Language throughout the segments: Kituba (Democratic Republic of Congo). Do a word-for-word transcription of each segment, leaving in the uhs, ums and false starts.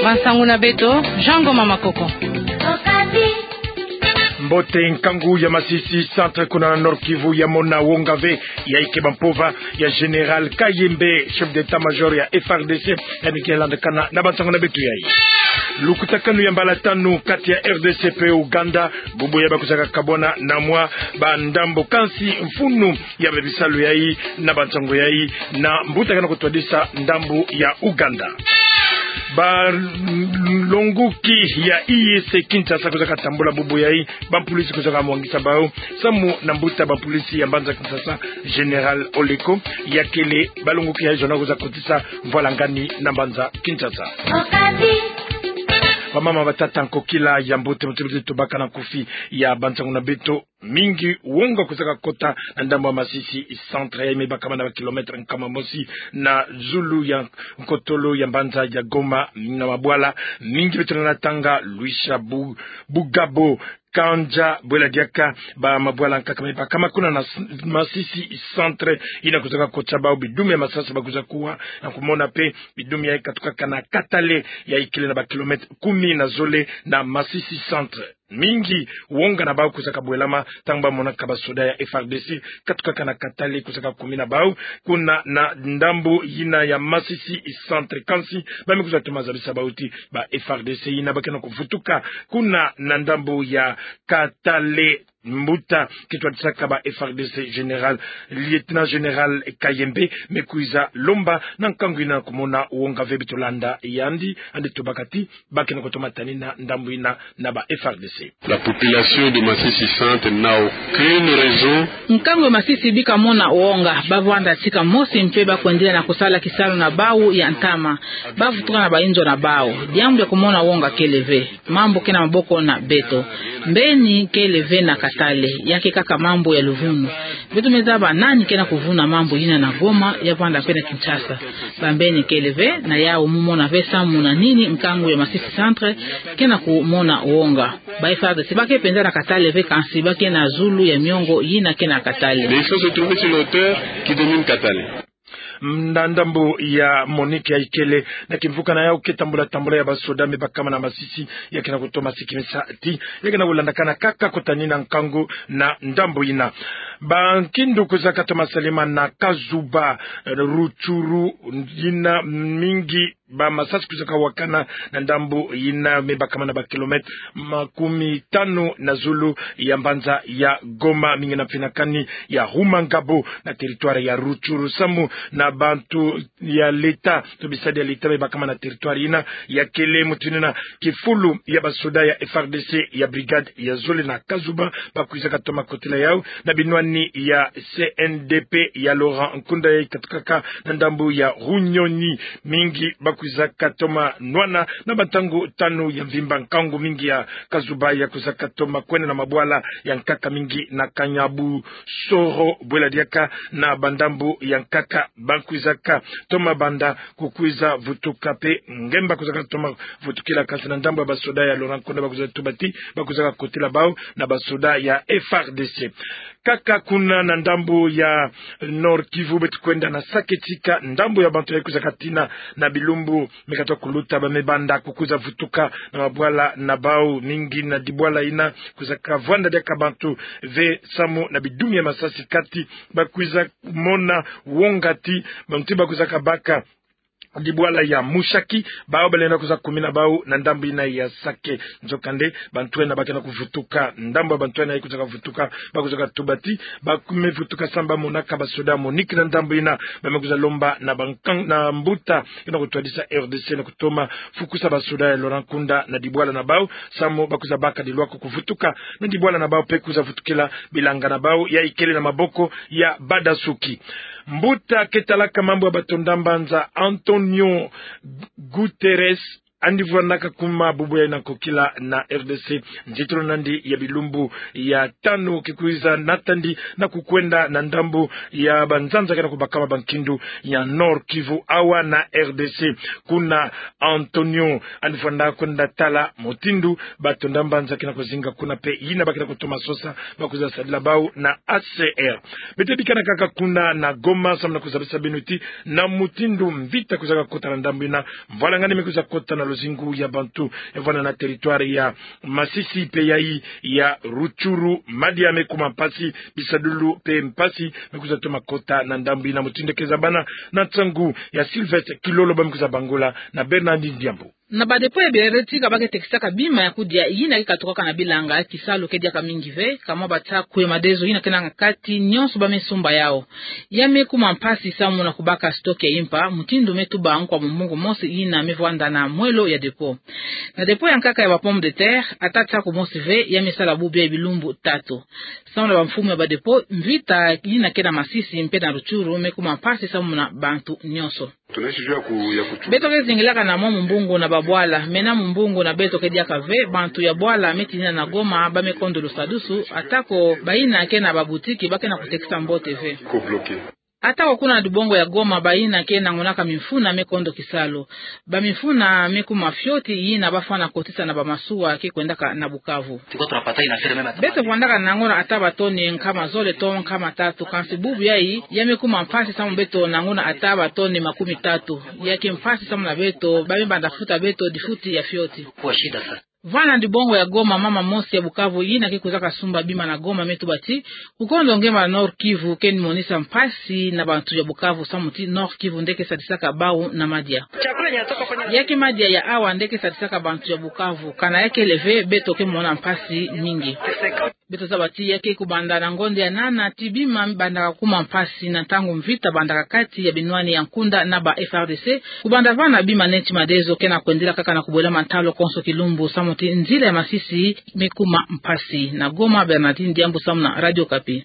Masangu na beto, Jean Ngoma Makoko. Mbote. Nkangu ya Masisi Centre kuna na Nord-Kivu ya mona wonga ve, ya ike bampova ya Général Kayembe, chef d'état-major ya F R D C, yandi ke landakana na bansangu na beto yayi. Lukutakanu ya mbala tanu kati ya R D C pe Ouganda, bubu yayi bakwizaka kabwana na mwa bandambo kansi mfunu ya babisalu yayi na bansangu yayi na mbuta kena kutwadisa ndambu ya Ouganda. Balonguki ya E A C Kinshasa kwizaka tambula bubu yayi, bampolisi kwizaka mwangisa bau, samu na mbuta bampolisi ya mbanza Kinshasa, Général Oleko, yakele balonguki yayi zona kwiza kotisa mvwalangani na mbanza Kinshasa. Bamama, batata, nkokila ya mbote, mbote, mbote, tubaka na nkufi ya bansangu na beto. Mingi wonga kwizaka kota na ndambu ya Masisi Centre, yayi me bakama na ba kilomètre nkama mosi na zulu ya nkotolo ya mbanza ya Goma, na mabwala mingi beto na tanga, Luisha, Bu-, Bugabo, Kandja, bwela diaka, ba mabwala nkaka me bakama kuna na s-, Masisi Centre, yina kwizaka kotisa bau bidumi ya masasi bakwiza kuwa, na kumona pe bidumi yayi katukaka na Katale, yayi kele na ba kilomètre kumi na zole na Masisi Centre. Mingi wonga na bau kwizaka bwelama, ntangu bamonaka basoda ya F R D C katukaka na Katale, kwizaka kumi na bau kuna na ndambu yina ya Masisi Centre. Kansi ba me kwiza toma zabisa bau ti ba F R D C yina ba kena kuvutuka kuna na ndambu ya Katale. Mbuta ke twadisaka ba F R D C, Général, Lieutenant Général Kayembe, me kwiza lomba na nkangu yina kumona wonga ve. Beto landa yandi, yandi tubaka ti ba kena kutoma tanina ndambu yina na ba F R D C. La population de Masisi Centre n'a aucune raison. Nkangu ya Masisi bika mona wonga, ba vwanda tika mosi mpe ba kwendela na kusala kisalu na bau ya ntama. Ba vutuka na ba inzo na bau. Diambu ya kumona wonga kele ve. Mambu ke na maboko na beto. Mbeni kele ve na Katale, ya ke kaka mambu ya luvunu. Beto me zaba nani kena kuvuna mambu yina na Goma, ya vwanda mpe na Kinshasa. Ba mbeni kele ve, na yau mu mona ve samu na nini nkangu ya Masisi Centre kena kumona wonga. Ba F R D C ba ke penza na Katale ve, kansi ba ke na zulu ya miongo yina ke na Katale. Mais il faut se trouver sur l'auteur qui domine Katale. Na ndambu ya Monique, yayi kele na kimvuka na yau ke tambula tambula ya basoda me bakama na Masisi, ya kena kutoma sikimisa ti ya kena kulandakana kaka kota nina nkangu na ndambu yina. Bankindu kwizaka toma salema na Kazuba, eh, Rutshuru, yina mingi ba masasi kwizaka wakana na ndambu yina me bakama na ba kilomètre makumi tanu na zulu ya mbanza ya Goma, mingi na mfinakani ya Rumangabo na territoire ya Rutshuru, samu na bantu ya leta, to bisadi ya leta me bakama na territoire yina, ya kele mutindu yina kifulu ya basoda ya F R D C ya brigade ya zole na Kazuba ba kwizaka toma kotila yau na binwani ya C N D P ya Laurent Nkunda, yayi katukaka na ndambu ya Runyoni. Mingi ba kwizaka toma nwana na bantangu tanu ya mvimba, nkangu mingi ya Kazuba ya kwizaka toma kwenda na mabwala ya nkaka mingi na Kanyabusoro, bwela diaka na bandambu ya nkaka ba kwizaka toma banda kukwiza vutuka mpe nge ba kwizaka toma vutukila, kansi na ndambu ya basoda ya Laurent Nkunda ba kwiza tuba ti ba kwizaka kotila bau na basoda ya F R D C. Kaka kuna na ndambu ya Nord-Kivu, beto kwenda na Sake tika, ndambu ya bantu yayi kwizaka tina na bilumbu me katoka kuluta, ba me banda kukwiza vutuka na mabwala na bau, mingi na dibwala yina kwizaka vwanda diaka bantu ve samu na bidumi ya masasi kati ba kwiza mona wonga ti bantu ba kwizaka baka dibwala ya Mushaki, bau balenda kwiza kumina bau na ndambu yina ya Sake. Nzokande, bantu yina ba kena kuvutuka, ndambu ya bantu yina yayi kwizaka vutuka, ba kwizaka tuba ti ba me vutuka samu ba monaka basoda Monique na ndambu yina. Ba me kwiza lomba na bankan-, na mbuta kena kutwadisa R D C na kutoma fukusa basoda ya Laurent Nkunda na dibwala na bau, samu ba kwiza baka dilwako kuvutuka na dibwala na bau mpe kwiza vutukila bilanga na bau, yayi kele na maboko ya badasuki. Mbuta ke talaka mambu ya batonda mbanza Antonio Guterres, yandi vwanaka kuma bubu yayi na nkokila na R D C, nzitulu na yandi ya bilumbu ya tanu ke kwiza natandi na kukwenda na ndambu ya banzanza kena kubakama bankindu ya Nord-Kivu awa na R D C. Kuna Antonio, yandi vwanda kwenda tala mutindu batonda mbanza kena kuzinga kuna mpe yina ba kena kutoma sosa ba kwiza sadila bau na A C R. Beto bikana kaka kuna na Goma samu na kuzabisa beno ti na mutindu mvita kwizaka kota na ndambu yina, mvwalangani me kwiza kota na Luzingu ya bantu ya vwanda na territoire ya Masisi pe yayi ya Rutshuru, madia me kuma mpasi, bisadulu pe mpasi me kwiza toma kota na ndambu yina. Mutindu ke zabana na nsangu ya Sylvestre Kilolo, ba me kwiza bangula na Bernardine Diambu. Na ba dépôt ya biere tika ba ke tekisaka bima ya kudia yina ke katukaka na bilanga, kisalu ke diaka mingi ve, kama ba ta kwe madezo yina ke nanga kati, nyonso ba me sumba yau. Ya me kuma mpasi samu na kubaka stock ya impa, mutindu me tuba nkwa mumbungu mosi yina me vwanda na mwelo ya dépôt. Na dépôt ya nkaka ya ba pomme de terre, ata tiaku mosi ve, ya me sala bubu ya bilumbu tatu. Samu na ba mfumu ya ba dépôt, mvita yina ke na Masisi mpe na Rutshuru me kuma mpasi samu na bantu nyonso. Beto ke zingilaka na mwa mumbungu na ba bwala, mena mumbungu na beto ke diaka ve, bantu ya bwala me tinina na Goma ba me kondo lusadusu, atako bayina ke na ba boutique ba ke na kutekisa mbote ve. Atako kuna na dibongo ya Goma bayina ke nangonaka mimfuna me kondo kisalu. Ba mimfuna me kuma fioti yina ba fwana kotisa na ba masuwa ke kwendaka na Bukavu. Beto vwandaka nango na ata ba toni nkama zole to nkama tatu, kansi bubu yayi, ya me kuma mpasi samu beto nango na ata ba toni makumi tatu. Ya ke mpasi samu na beto, ba me banda futa beto difuti ya fioti. Vwanda na dibongo ya Goma, mama mosi ya Bukavu yina ke kwizaka sumba bima na Goma me tuba ti, kukondo ngemba na Nord-Kivu ke ni monisa mpasi na bantu ya Bukavu samu ti Nord-Kivu nde ke sadisaka bau na madia. Ya ke madia ya awa nde ke sadisaka bantu ya Bukavu, kana ya kele ve beto ke mona mpasi mingi. Beto zaba ti ya ke kubanda na ngonda ya nana ti bima bandaka kuma mpasi na ntangu mvita bandaka kati ya binwani ya nkunda na ba F R D C. Kubanda vana bima neti madezo ke na kwendila kaka na kubwela mantalo konso kilumbu samu ti nzila ya Masisi me kuma mpasi. Na Goma, Bernardine Diambu samu na Radio Okapi.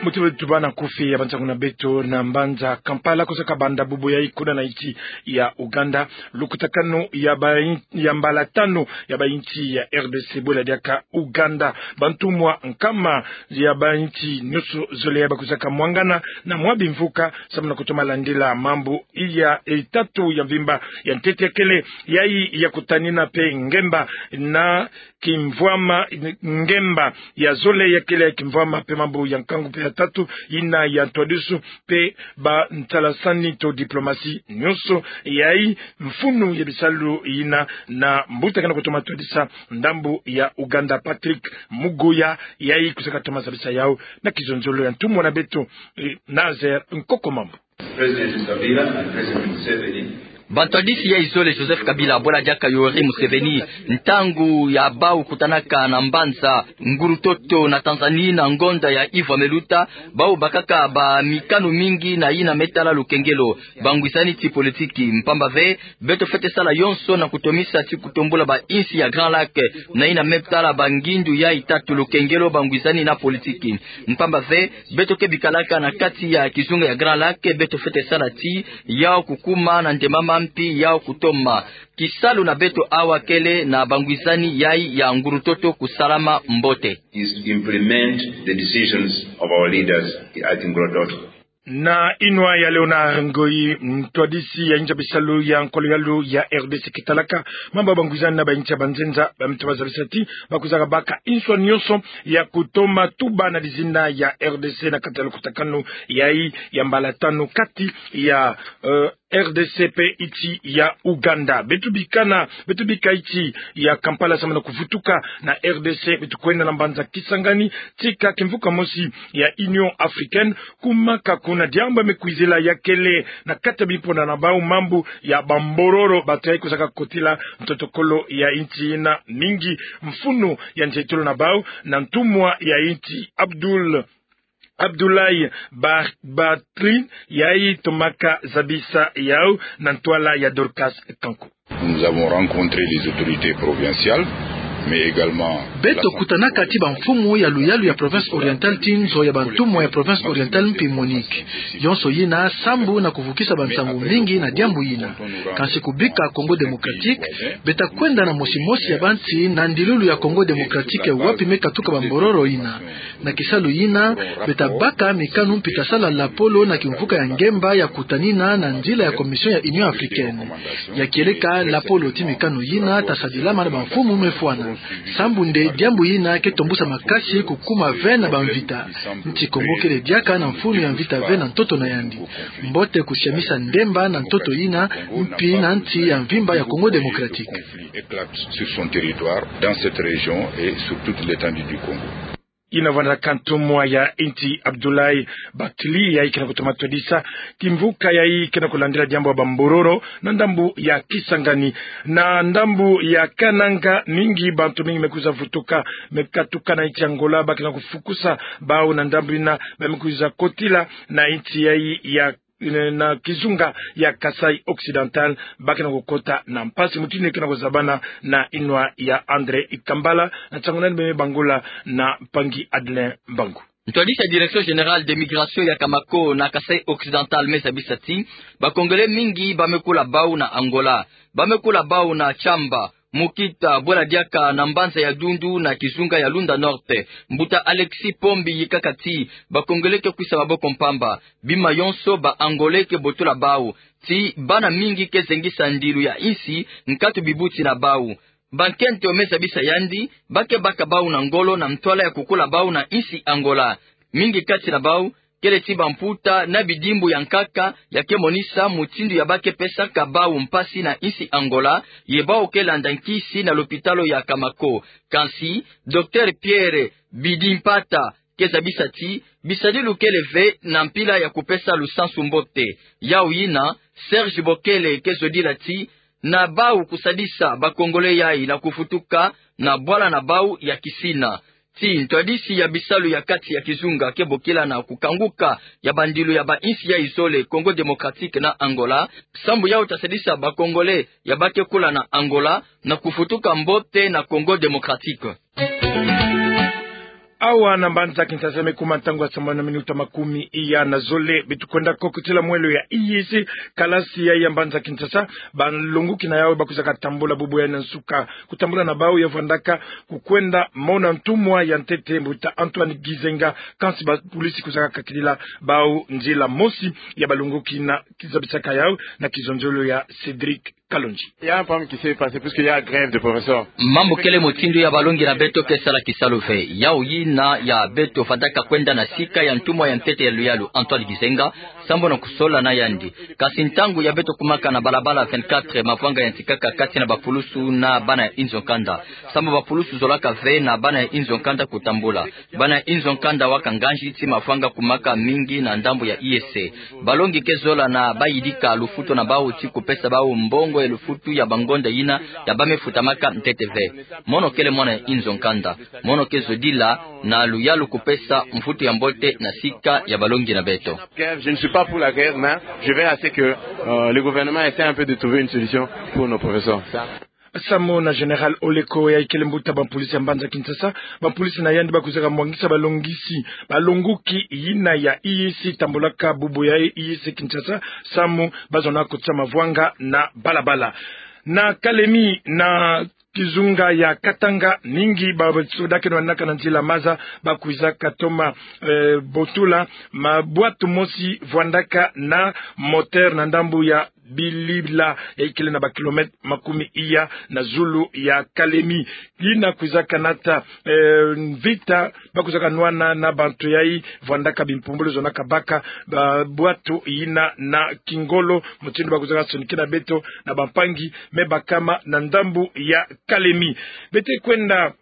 Muti beto tubana kufi ya bansangu na beto na mbanza Kampala, kwizaka banda bubu yayi kuna na insi ya Ouganda lukutakanu ya ba in-, ya mbalatanu ya ba insi ya R D C, bwela diaka Ouganda. Bantumwa nkama ya ba insi nyonso zole ya ba kwizaka mwangana na mwa bimvuka samu na kutoma landila mambu ya tatu ya mvimba ya ntete ya kele, yayi ya kutanina pe ngemba na kimvwama, ngemba ya zole ya kele ya kimvwama pe mambu ya nkangu pe ya tatu, yina ya ntwadisi pe ba ntalasani to diplomasi nyonso, yayi mfunu ya bisalu yina na mbuta ke na kutoma twadisa ndambu ya Ouganda, Patrick Mugoya, yayi kwizaka toma zabisa yau na kizonzolo ya ntumwa na beto, eh, Nazer Nkokomambu. President Kabila and President Museveni. Bantwadisi yayi zole Joseph Kabila bwela diaka Yoweri Museveni, ntangu ya bau kutanaka na mbanza Nguru-Ntoto na Tanzanie na ngonda ya iva me luta, bau bakaka ba mikanu mingi na yina me tala lukengelo, bangwisani ti politiki. Mpamba ve, beto fwete sala yonso na kutomisa ti kutombula ba insi ya Grand Lac na yina me tala bangindu yayi tatu: lukengelo, bangwisani na politiki. Mpamba ve, beto ke bikalaka na kati ya kizunga ya Grand Lac, beto fwete sala ti yau kukuma na ndemama mpi yau kutoma. Kisalu na beto awa kele na bangwisani yayi ya Nguru-Ntoto kusalama mbote. Is implement the decisions of our leaders at Nguru-Ntoto. Na inwa ya Léonard Ngoyi, ntwadisi ya inza bisalu ya nkolo yalu ya R D C, ke talaka mambu ya bangwisani na ba insi ya banzenza, ba me toma zabisa ti ba kwizaka baka inswa nyonso ya kutoma tuba na dizina ya R D C na kati ya lukutakanu yayi ya mbalatanu kati ya, eh, R D C pe insi ya Ouganda. Beto bikana, beto bika insi ya Kampala samu na kuvutuka na R D C, beto kwenda na mbanza Kisangani, tika kimvuka mosi ya Union Africaine, kumaka kuna diambu ya me kwizila ya kele na kati ya bimpona na bau mambu ya bambororo, bantu yayi kwizaka kotila ntotokolo ya insi yina mingi. Mfunu ya nzietolo na bau na ntumwa ya insi Abdul Abdoulaye Ba-, Batri, yayi tomaka zabisa yau na ntwala ya Dorcas Kanku. Nous avons rencontré les autorités provinciales, mais également... Beto kutanaka ti bamfumu ya luyalu ya province orientale ti nzo ya bantumwa ya province orientale mpi Monique. Yonso yina sambu na kuvukisa bansangu mingi na diambu yina. Kansi kubika Congo Démocratique, beta kwenda na mosi mosi ya bansi na ndilulu ya Congo Démocratique wapi me katuka bambororo yina. Na kisalu yina, beta baka mikanu mpi ta sala lapolo na kimvuka ya ngemba ya kutanina na nzila ya Commission ya Union Africaine. Ya kieleka, lapolo ti mikanu yina ta sadilama na bamfumu me fwana. Sambu nde diambu yina ke tombusa makasi kukuma ve na bamvita. Nti Kongo kele diaka na mfunu ya mvita ve na ntoto na yandi. Mbote kusiamisa ndemba na ntoto yina, mpi na nsi ya mvimba ya Congo Démocratique. Éclate sur son territoire, dans cette région et sur toute l'étendue du Congo. Yina vandaka ntumwa ya nti Abdoulaye Bathily, yayi ke na kutoma twadisa kimvuka yayi ke na kulandila diambu ya bambororo na ndambu ya Kisangani. Na ndambu ya Kananga, mingi, bantu mingi me kwiza vutuka, me katuka na nti Angola, ba ke na kufukusa bau na ndambu yina ba me kwiza kotila na nti yayi ya na kizunga ya Kasaï Occidental, ba ke na kukota na mpasi. Mutindu ke na kuzabana na yinwa ya André Kambala, na nsangu nani beme bangula na mpangi Adelin Mbangu. Ntwadisi ya Direction Générale de Migration ya Kamako na Kasaï Occidental me zabisa ti ba Congolais mingi ba me kula bau na Angola, ba me kula bau na Tchamba, Mukita, bwela diaka na mbanza ya Dundu na kizunga ya Lunda Norte. Mbuta Alexis Pombi yikaka ti ba Congolais ke kwisa maboko mpamba. Bima yonso ba Angolais ke botola bau ti bana mingi ke zengisa ndilu ya nsi nkatu bibuti na bau. Bankento me zabisa yandi, ba ke baka bau na ngolo na ntwala ya kukula bau na nsi Angola. Mingi kati na bau kele ti bamputa na bidimbu ya nkaka ya ke monisa mutindu ya ba ke pesaka bau mpasi na nsi Angola, ye bau ke landa nkisi na lopitalo ya Kamako. Kansi, Docteur Pierre Bidimpata ke zabisa ti bisadilu kele ve na mpila ya kupesa lusansu mbote. Yau yina, Serge Bokele ke zodila ti na bau kusadisa ba Congolais yayi na kuvutuka na bwala na bau ya Kisina. Ti ntwadisi ya bisalu ya kati ya kizunga ke bokila na kukanguka ya bandilu ya bansi yayi zole, Congo Démocratique na Angola, sambu yau ta sadisa ba Congolais ya ba ke kula na Angola na kuvutuka mbote na Congo Démocratique. Awa na mbanza Kinshasa me kuma ntangu ya sambanu na minuta makumi iya na zole. Beto kwenda kokotila mwelo ya E A C, kalasi ya, ya mbanza Kinshasa. Balongoki na yau ba kwizaka tambula bubu yayi na nsuka kutambula na bau ya vwandaka kukwenda mona ntumwa ya ntete, mbuta Antoine Gizenga, kansi bapolisi kwizaka kakidila bau nzila. Mosi ya balongoki na kizabisaka yau na kizonzolo ya Cédric Kalonji. Il y a un problème qui s'est passé puisqu'il y a grève de professeurs. Mambu kele mutindu ya balongi na beto ke sala kisalu ve. Yau yina ya beto fadaka kwenda na sika ya ntumwa ya ntete ya luyalu Antoine Gizenga, sambu na kusola na yandi. Kasi ntangu ya beto kumaka na balabala vingt-quatre, mavwanga yantikaka kati na bapulusu na bana ya inzo nkanda. Sambu bapulusu zolaka ve na bana ya inzo nkanda kutambula. Bana ya inzo nkanda waka nganji ti mavwanga kumaka mingi na ndambu ya E A C. Balongi ke zola na bayidika lufutu na bau ti kupesa bau mbongo ya lufutu ya bangonda yina ya ba me futamaka ntete ve. Mono kele mwana ya inzo nkanda. Mono ke zodila na luyalu kupesa mvutu ya mbote na sika ya balongi na beto. Grève, je ne suis pas pour la grève, mais je veille à ce que, euh, le gouvernement essaie un peu de trouver une solution pour nos professeurs. Ça. Samu na Général Oleko, yayi kele mbuta bampolisi ya mbanza Kinshasa, bampolisi na yandi ba kwizaka mwangisa balongisi, balongoki yina ya E A C tambulaka bubu yayi E A C Kinshasa, samu ba zona kotisa mavwanga na balabala. Na Kalemi, na kizunga ya Katanga, mingi ba soda ke nwanaka na nzila maza ba kwizaka toma, eh, botola mabwatu mosi vwandaka na moteur na ndambu ya Bilila, yayi kele na bakilomètre makumi iya na zulu ya Kalemi. Yina kwizaka nata, eh, mvita ba kwizaka nwana na bantu yayi vwandaka bimpumbulu zonaka baka ba bwatu yina na kingolo, mutindu ba kwizaka sonikina beto na bampangi me bakama na ndambu ya Kalemi. Beto kwenda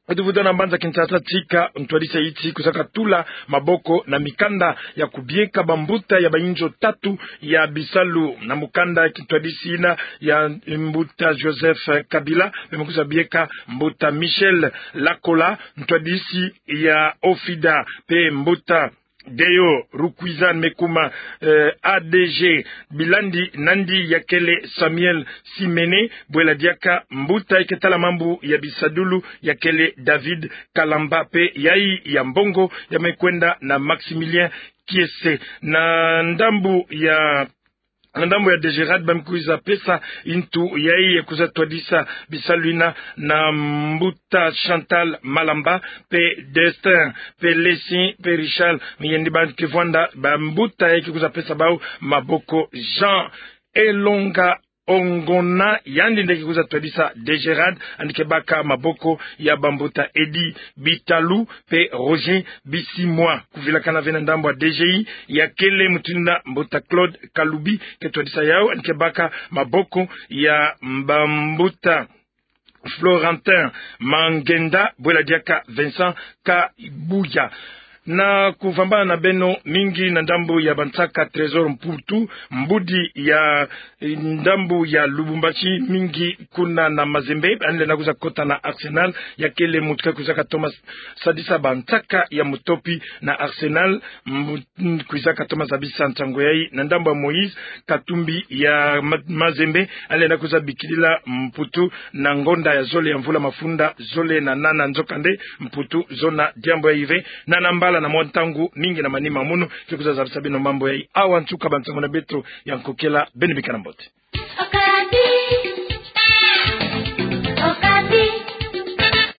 Beto vuta na mbanza Kinshasa tika ntwadisi ya yiti kwizaka tula maboko na mikanda ya kubieka bambuta ya bayinzo tatu ya bisalu. Na mukanda ya kintwadisi yina ya mbuta Joseph Kabila, me me kwiza bieka mbuta Michel Lakola, ntwadisi ya OFIDA, mpe mbuta Deo Rukwiza me kuma, eh, A D G. Bilandi nandi ya kele Samuel Simene, bwela diaka mbuta ya ke tala mambu ya bisadulu ya kele David Kalamba, mpe yayi ya mbongo ya me kwenda na Maximilien Kiese. Na ndambu ya, na ndambu ya DGRAD ba me kwiza pesa ntu yayi ya kwiza twadisa bisalu yina na mbuta Chantal Malamba, mpe Destin, mpe Lessin, mpe Richard Miyende, ba ke vwanda bambuta yayi ke kwiza pesa bau maboko. Jean Elonga Ongona, yandi nde ke kwiza twadisa Degerade, yandi ke baka maboko ya bambuta Eddy Bitalu pe Roger Bisimwa. Kuvilakana ve na ndambu ya D G I, ya kele mutindu na mbuta Claude Kalubi ke twadisa yau, yandi ke baka maboko ya bambuta Florentin Mangenda, bwela diaka Vincent Kabuya. Na kuvambana na beno mingi na ndambu ya bansaka Trésor Mputu, mbudi ya, eh, ndambu ya Lubumbashi, mingi kuna na Mazembe, yandi lenda kwiza kota na Arsenal, ya kele muntu ke kwizaka toma sadisa bansaka ya mutopi na Arsenal, mbu-, kwizaka toma zabisa nsangu yayi na ndambu ya Moïse Katumbi ya Ma-, Mazembe, yandi lenda kwiza bikilila Mputu na ngonda ya zole ya mvula mafunda zole na nana. Nzokande Mputu zona diambu yayi ve, na na mbala na mwa ntangu mingi na manima munu, ke kwiza zabisa beno mambu yayi. Awa nsuka bansangu na beto ya nkokela, beno bika na mbote.